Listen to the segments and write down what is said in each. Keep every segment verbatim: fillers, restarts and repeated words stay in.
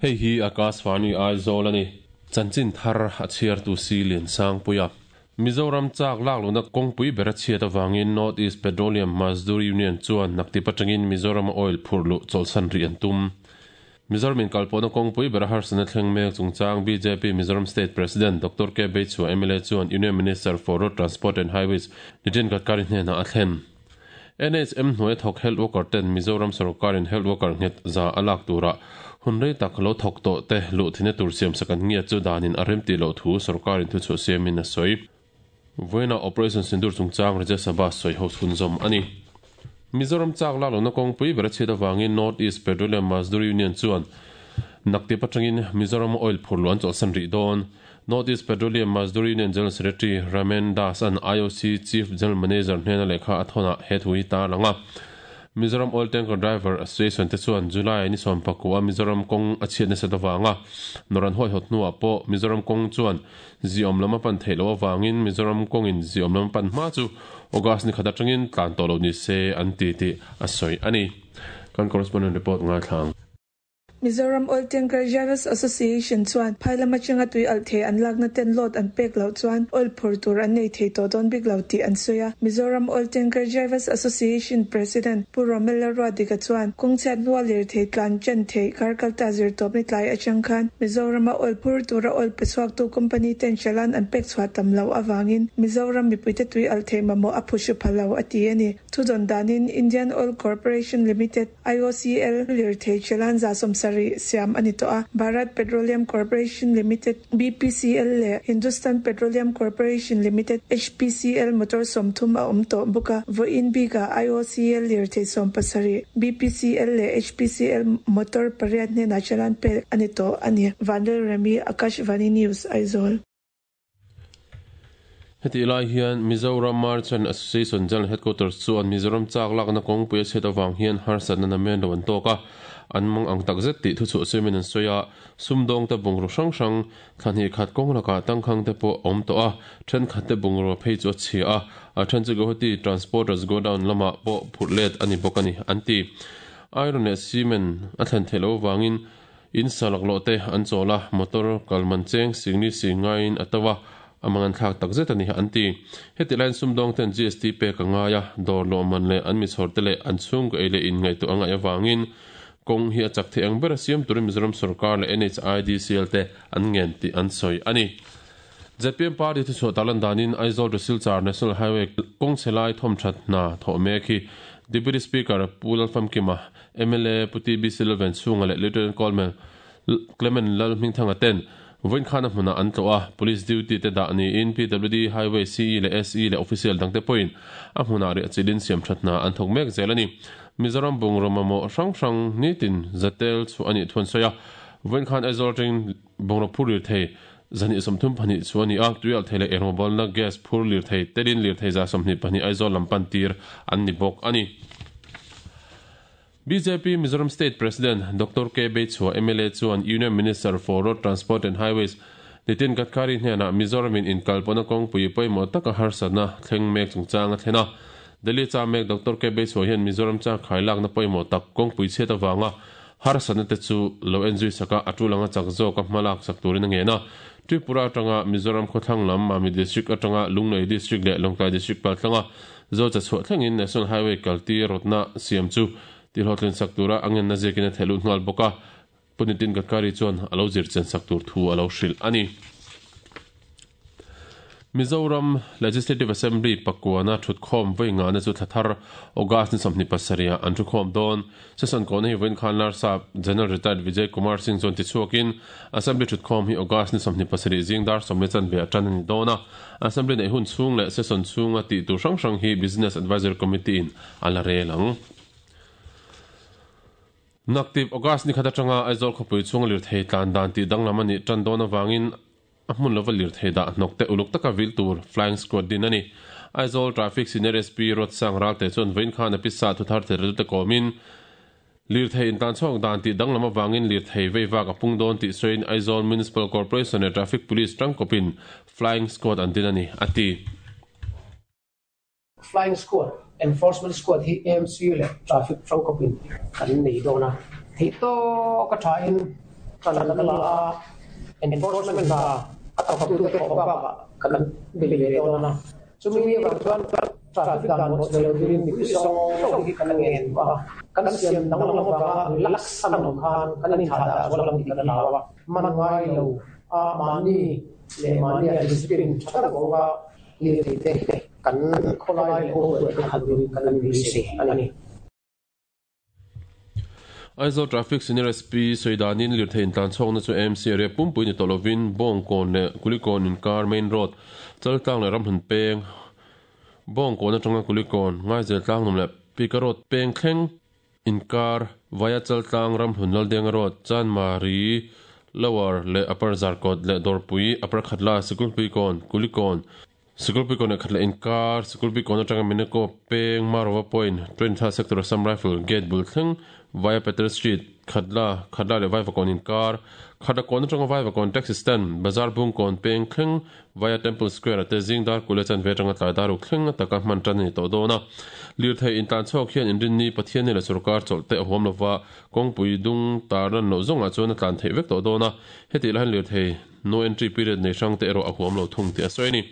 Hei hi Akashvani Aizawl ani chanchin thar a chhiar tu si lian sang puia Mizoram chak lak luna kawngpui bera chhiat awangin North East Petroleum Mazdoor Union chuan nakti patangin Mizoram oil phurlu cholsan ri an tum Mizoram in kalpona kawngpui bera harsana thleng mek chungchang B J P Mizoram State President Doctor K Beichhua M L A chuan Union Minister for Road Transport and Highways Nitin Gadkari hnena a thlen N H M hnuai thawk health worker ten Mizoram sarkarin health worker nghet za alak tura hunrei tak lo thawk tawh te luh thina tur siam sakan ngia chu danin a rem ti lo thu sarkarin thu chu siamin a sawi Voina Operation Sindur chungchang Rajya Sabha sawi ho chhunzawm ani Mizoram chak lak lohna kawngpui bera chhiat awangin North East Petroleum Mazdoor Union chuan nakti patangin Mizoram oil phurlu an chawlhsan rih dawn North East Petroleum Mazdoor Union General Secretary Ramen Das an I O C Chief General Manager hnena lekha a thawna he thu hi ta langa Mizoram Oil Tanker Driver Association te chuan July ni sawm pakua Mizoram kawng a chhiat nasa awanga noran hoi hot hnuah pawh Mizoram kawng chuan ziawm lam a pan theih loh awangin Mizoram kawngin ziawm lam a pan hma chu August ni khat atangin tlan tawh lo ni se an ti tih a sawi ani kan correspondent report ngai thlang Mizoram Oil Tanker Drivers Association chuan phailama chinga tui al the an lakna ten lot an pek lo chuan oil phur tur an nei thei to don bik lo ti an soya Mizoram Oil Tanker Drivers Association President Pu Romela Ruadika chuan kawngchhiat nual lir thei tlan chen thei karkalta zir tawp ni tlai atang khan Mizoram oil phur tura oil pechuak tu company ten chalan an pek chhuah tam lo awangin Mizoram mipuite tui al the mamo a phushu phalo ati ani thudon danin Indian Oil Corporation Limited I O C L lir thei chalan za som sari siam ani to a Bharat Petroleum Corporation Limited B P C L le Hindustan Petroleum Corporation Limited H P C L motor somthum a om to buka voin bika I O C L lir thei som pasari B P C L le H P C L motor pariat ne na chalan pe ani to ani Vandal Remy Akashvani News Aizawl Heti lai hian Mizoram Merchant Association General Headquarters chuan Mizoram chak lakna kawngpui a chhiat awang hian harsatna namen lo an tawk a an mang ang tak zet tih thu chu siamin an sawi a sumdawng te bungraw hrang hrang thlahnih khat kawng lakah tangkhang te pawh a awm tawh a thenkhat te bungraw phei chu a chhia a a then chu Guwahati Transporters Godown lamah pawh phurh let ani bawk ani an ti iron leh cement a thlen theih loh awangin in salak loh te an chawl a motor kalman cheng singni singaiin a to a amangan thlak tak zet ani an ti heti line sumdawng ten G S T pek anga ya dawr lawh man leh an mi chhawr te leh an chhung ka ei leh in ngaihtuah angai awangin kawng hi a chak thei ang ber a siam turin Mizoram sarkar leh N H I D C L te an ngen tih an sawi ani Z P M Party thu chhuah talan danin Aizawl to Silchar National Highway kawng chhelai thawm that hna thawh mek hi Deputy Speaker Pu Lalfamkima M L A Pu T B Silvan chhunga leh Lieutenant Colonel Clement Lalhmingthanga ten voin khana hmuna an tlo a police duty te dah ni in P W D Highway C E le S E le official dangte point a hmuna ri achilin siam thatna an thawk mek zel ani Mizoram bungraw mamawh hrang hrang nitin zatel chu ani thuan sawi a voin khan Aizawl atangin bungraw phur lir thei zani sawmthum pahnih chu ani a tuial thei leh engmawbolna gas phur lir thei telin lir thei za sawmhnih pahnih Aizawl lam pan tir an ni bawk ani B J P Mizoram State President Doctor K Beichhua M L A chuan Union Minister for Road Transport and Highways Nitin Gadkari hnena Mizoramin inkalpawna kawngpui pawimawh taka harsatna thleng mek chungchang a thlen a Delhi cha mek Doctor K Beichhua hian Mizoram cha khailakna pawimawh tak kawngpui chhiat awanga harsatna te chu lo enzui saka a tulanga chak zawk a hmalak sak turin a ngen a Tripura atanga Mizoram khawthlang lam Mami District atanga Lunglei District leh Lawngtlai District paltlanga zo cha chhuah thlengin National Highway kalti rawtna siam chu ti hlawhtlin sak tura angen na zekin a thehlut nghal bawk a Pu Nitin Gadkari chuan a lo zir chen sak tur thu a lo hrilh ani Mizoram Legislative Assembly pakuana thutkhawm vei nga na chu thlathar August ni sawmhnih pasarih an thukhawm dawn session kawna hi vawiin khan Larsa General Retired Vijay Kumar Singh chuan tichhuakin Assembly thutkhawm hi August ni sawmhnih pasarih zingdar sawmli chanve atan ani dawn a Assembly nei hun chhung leh session chhunga tih tur hrang hrang hi Business Advisory Committee in a la rel ang Naktip August ni khat atanga Aizawl khawpui chhung lir thei tlan dan tih danglam ani tan dawn awangin a hmun lova lir thei dah hnawk te uluk taka vil tur flying squad din ani Aizawl Traffic Senior S P Rotsang Ralte chuan vawiin khan a pisa thu thar thei te kawmin lir thei in tlan chhuak dan tih danglam awangin lir thei vei vak a pung dawn tih sawiin Aizawl Municipal Corporation leh Traffic Police tangkawpin flying squad an din ani ati Flying Squad, Enforcement Squad hi A M C leh Traffic Hrangkawpin kan nei dawn a. Theih tawk a thain kan la a enforcement hna a thawktute thawh bakah kan bei leh dawn a. Chumi avang chuan traffic dan bawhchhe lo turin mipui zawng zawng hi kan ngen a. Kan siam danglam avanga relax an awm khan kan inthah dah zual ang tih kan hlau a. Man ngai lo a mahni leh mahni a discipline tha tak vanga lirthei te kan khawlai leh kawngpuiah te khalh turin kan inbeisei a ni. Aizawl Traffic Senior S P sawidanin lirthei intlan chhawkna chu A M C area pumpui ni tawh lovin Bawngkawn leh Kulikawn inkar main road Chaltlang leh Ramhlun peng Bawngkawn atanga Kulikawn Ngaizel Tlangnum leh Pika Road peng thleng inkar via Chaltlang Ramhlun Laldenga Road Chanmari Lower leh Upper Zarkawt leh Dawrpui Upper Khatla Sikulpuikawn Kulikawn Sikulpuikawn leh Khatla inkar Sikulpuikawn atanga Mineko peng Marova Point twenty-third Sector Assam Rifle Gate bul thleng via Peter Street Khatla Khatla leh Vaivakawn inkar Khatlakawn atanga Vaivakawn Taxi Stand Bazar Bungkawn peng thleng via Temple Square ate Zingdar Kule chan ve atanga tlai daruk thleng ataka hman tan ani tawh dawn a. Lirthei intlan chhuak hian inrinni Pathian ni leh sarkar chawlh te a huam lova kawngpui dung tar lan loh zawngah chuan a tlan theih vek tawh dawn a. Heti lahin lirthei no entry period nei hrang te erawh a huam lo thung tih a sawi a ni.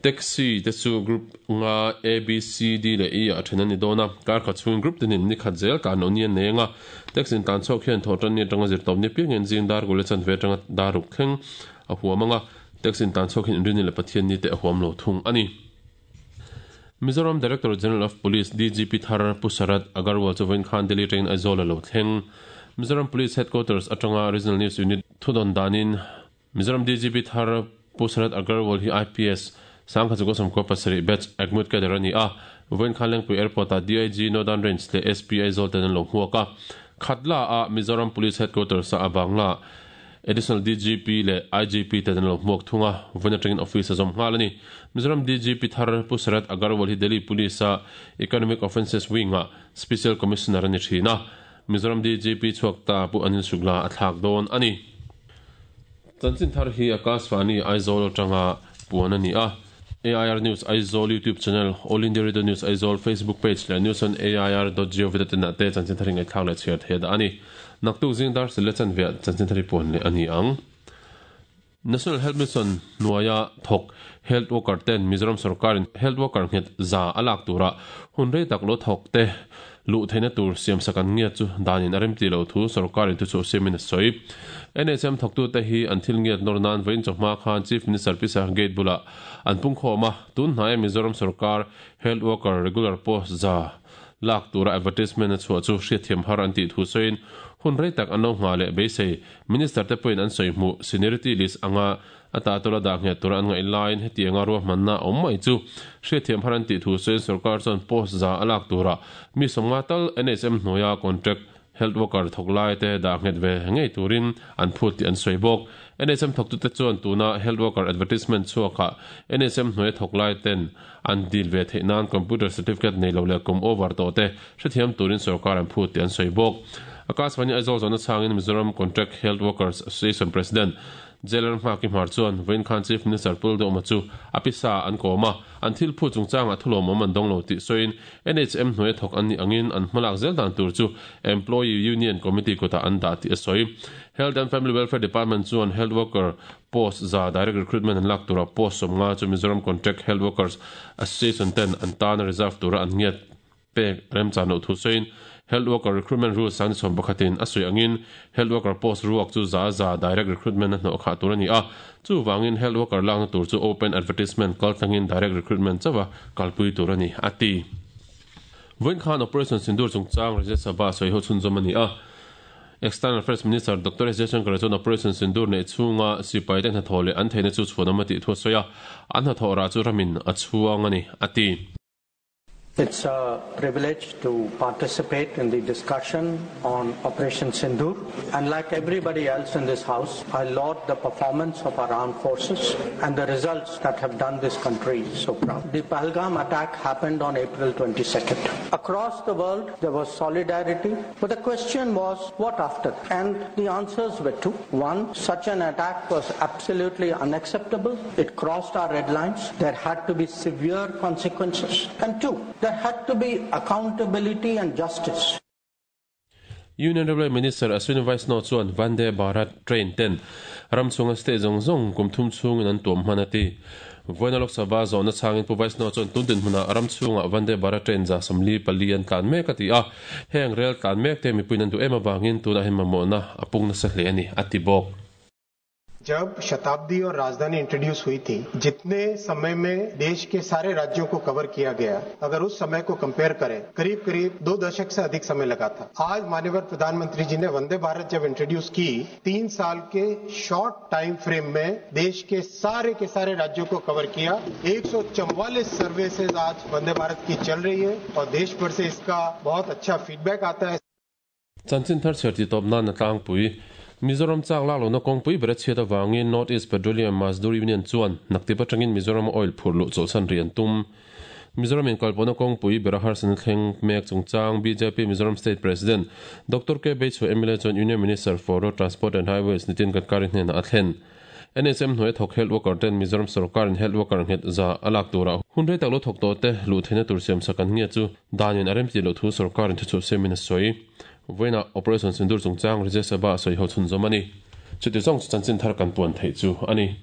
Taxi te chu group nga A B C D leh E ah then ani dawn a. Kar khat chhungin group tinin ni khat zel tlan loh ni an nei anga. Taxi intlan chhuak hian thawh tan ni atanga zir tawp ni piangin Zingdar Kule chan ve atanga daruk thleng a huam anga. Taxi intlan chhuak hian inrinni leh Pathian ni te a huam lo thung a ni. Mizoram Director General of Police D G P Thar Pu Sharad Agarwal chu vawiin khan Delhi train Aizawl a lo thleng. Mizoram Police Headquarters atanga Regional News Unit thudon danin Mizoram D G P Thar Pu Sharad Agarwal hi I P S Sangkha chu Samkua pasarih batch Agmut cadre ani a. Vawiin khan Lengpui Airport a D I G Northern Range leh S P Aizawl ten an lo hmuak a. Khatla a Mizoram Police Headquarters a Bangla Additional D G P leh I G P ten an lo hmuak thung a. Vawiin atangin office a zawm nghal ani. Mizoram D G P Thar Pu Sharad Agarwal hi Delhi Police a Economic Offences Wing a Special Commissioner ani thin a. Mizoram D G P chhuak ta Pu Anil Shukla a thlak dawn ani. Chanchin thar hi Akashvani Aizawl atanga puan ani a. A I R News Aizawl YouTube channel, All India Radio News Aizawl Facebook page leh news on A I R dot gov dot in ah te chanchin thar hi ngaihthlak leh chhiar theih dah ani. Naktuk zingdar sile chanveah chanchin thar hi puan leh ani ang. National Health Mission hnuaia thawk health worker ten Mizoram sarkarin health worker nghet za a lak tura hun rei tak lo thawk te luh theihna tur siam sak an ngiat chu danin a remti lo thu sarkarin thu chu siamin a sawi. N H M thawktu te hi an thil ngiat nawr nan vawiin chawhma khan Chief Minister Pisa Gate bula an pung khawm a. Tun hnaia Mizoram sarkar health worker regular post za lak tura advertisement a chhuah chu hriatthiam har an tih thu sawiin hun rei tak an lo ngha leh beisei minister te pawhin an sawi hmuh seniority list anga ata tura dah nghet tura an ngaih laiin heti anga ruahmanna awm mai chu hriatthiam har an tih thu sawiin sarkar chuan post za a lak tura mi sawmnga tal N H M hnuaia contract health worker thawk lai te dah nghet ve ngei turin an phut tih an sawi bawk. N H M thawktute chuan tuna health worker advertisement chhuakah N H M hnuaia thawk lai ten an dil ve theih nan computer certificate nei lo leh kum over tawh te hrethiam turin sarkar an phut tih an sawi bawk. Akashvani Aizawl zawhna chhangin Mizoram Contract Health Workers Association President Jelar Hmaki Hmar chuan vawiin khan Chief Minister Pu Lalduhoma chu a pisa an kawm a. An thil phu chungchangah thulawmawm an dawng lo tih sawiin N H M hnuaia thawk an ni angin an hmalak zel dan tur chu Employee Union Committee kutah an dah tih a sawi. Health and Family Welfare Department chuan health worker post za direct recruitment an lak tura post sawmnga chu Mizoram Contract Health Workers Association ten an tan reserve tura an ngiat pek remchan loh thu sawiin health worker recruitment rules sang chhom pakhatin a sawi angin health worker post ruak chu za za direct recruitment a hnawh khah tur ani a. Chu wangin health worker lakna tur chu open advertisement kal tlangin direct recruitment chawa kalpui tur ani ati. Vawiin khan Operation Sindoor chungchang Rajya Sabha sawi ho chhunzawm ani a. External Affairs Minister Doctor S Jaishankar chuan Operation Sindoor nei chhunga sipai te hnathawh leh an theihna chu chhuanawm a tih thu a sawi a. An hnathawh rah chu ramin a chhuang ani ati. It's a privilege to participate in the discussion on Operation Sindoor. And like everybody else in this house, I laud the performance of our armed forces and the results that have done this country so proud. The Pahalgam attack happened on April twenty-second. Across the world, there was solidarity, but the question was, what after? And the answers were two. One, such an attack was absolutely unacceptable. It crossed our red lines. There had to be severe consequences. And two, there had to be accountability and justice. Union Railway Minister Ashwini Vaishnaw chuan Vande Bharat train ten ramchunga state zong zong kumthum chungin an tuam hmanati Voina Lok Sabha zawna changin pu Vaishnaw chuan tundin hmuna ramchunga Vande Bharat train za samli pali an tlan mek ati a heng rail tlan mek te mipuin an du em awangin tuna hin mamawhna a pungna sa hle ani ati bawk. जब शताब्दी और राजधानी introduce हुई थी, जितने समय में देश के सारे राज्यों को कवर किया गया, अगर उस समय को कंपेयर करें, करीब करीब दो दशक से अधिक समय लगा था। आज माननीय प्रधानमंत्री जी ने वंदे भारत जब इंट्रोड्यूस की, तीन साल के short time frame में देश के सारे के सारे राज्यों को कवर किया। एक सौ चौवालीस सर्विसेज आज वंदे भारत की चल रही है और देश भर से इसका बहुत अच्छा फीडबैक आता है। Chanchin thar cherti top na na tlangpui Mizoram chak lak lohna kawngpui ber a chhiat awangin North East Petroleum Mazdoor Union chuan naktipa tangin Mizoram oil phur luh chawlhsan ri an tum. Mizoram in kalpawhna kawngpui ber a harsana thleng mek chungchang B J P Mizoram State President Doctor K Beichhua M L A chuan Union Minister for Road Transport and Highways Nitin Gadkari hnenah a thlen. N H M hnuai thawk health worker ten Mizoram sarkar in health worker nghet za alak tura hun rei tak lo thawk tawh te luh theihna tur siam sak an nge chu danin a remti loh thu sarkar in thuchhuah semin a sawi. Voina Operation Sindoor chungchang Rajya Sabha sawi ho chhun zawm ani. Chuti zawng chu chanchin thar kan puan theih chu ani.